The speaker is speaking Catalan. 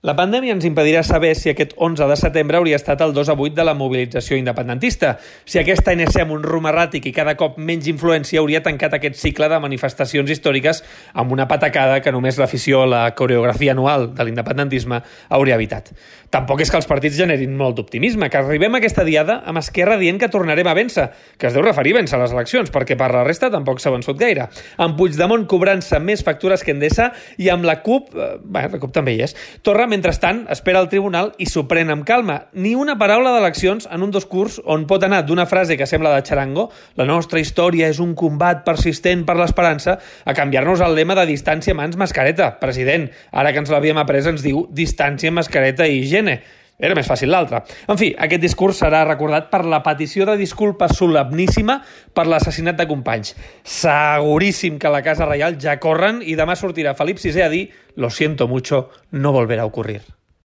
La pandèmia ens impedirà saber si aquest 11 de setembre hauria estat el 2-8 de la mobilització independentista, si aquest ANC amb un rumb erràtic i cada cop menys influència hauria tancat aquest cicle de manifestacions històriques amb una patacada que només l'afició a la coreografia anual de l'independentisme hauria evitat. Tampoc és que els partits generin molt d'optimisme, que arribem a aquesta diada amb Esquerra dient que tornarem a vèncer, que es deu referir a vèncer les eleccions, perquè per la resta tampoc s'ha vençut gaire. Amb Puigdemont cobrant-se més factures que Endesa i amb la CUP, la CUP també hi és. Torra, mentrestant, espera al tribunal i s'ho pren amb calma. Ni una paraula d'eleccions en un discurs on pot anar d'una frase que sembla de xarango, la nostra història és un combat persistent per l'esperança, a canviar-nos el lema de distància mans mascareta. President, ara que ens l'havíem après ens diu distància, mascareta i higiene. Era més fàcil l'altre. En fi, aquest discurs serà recordat per la petició de disculpa solemníssima per l'assassinat de Companys. Seguríssim que a la Casa Reial ja corren i demà sortirà Felip VI a dir «Lo siento mucho, no volverá a ocurrir».